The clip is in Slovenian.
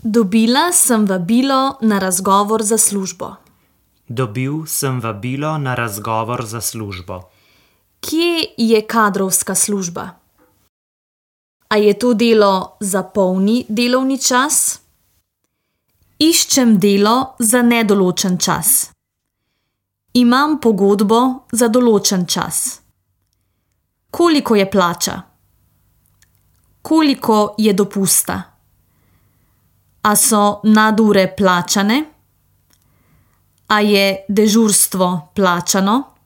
Dobila sem vabilo na razgovor za službo. Dobil sem vabilo na razgovor za službo. Kje je kadrovska služba? A je to delo za polni delovni čas? Iščem delo za nedoločen čas. Imam pogodbo za določen čas. Koliko je plača? Koliko je dopusta? A so nadure plačane? A je dežurstvo plačano?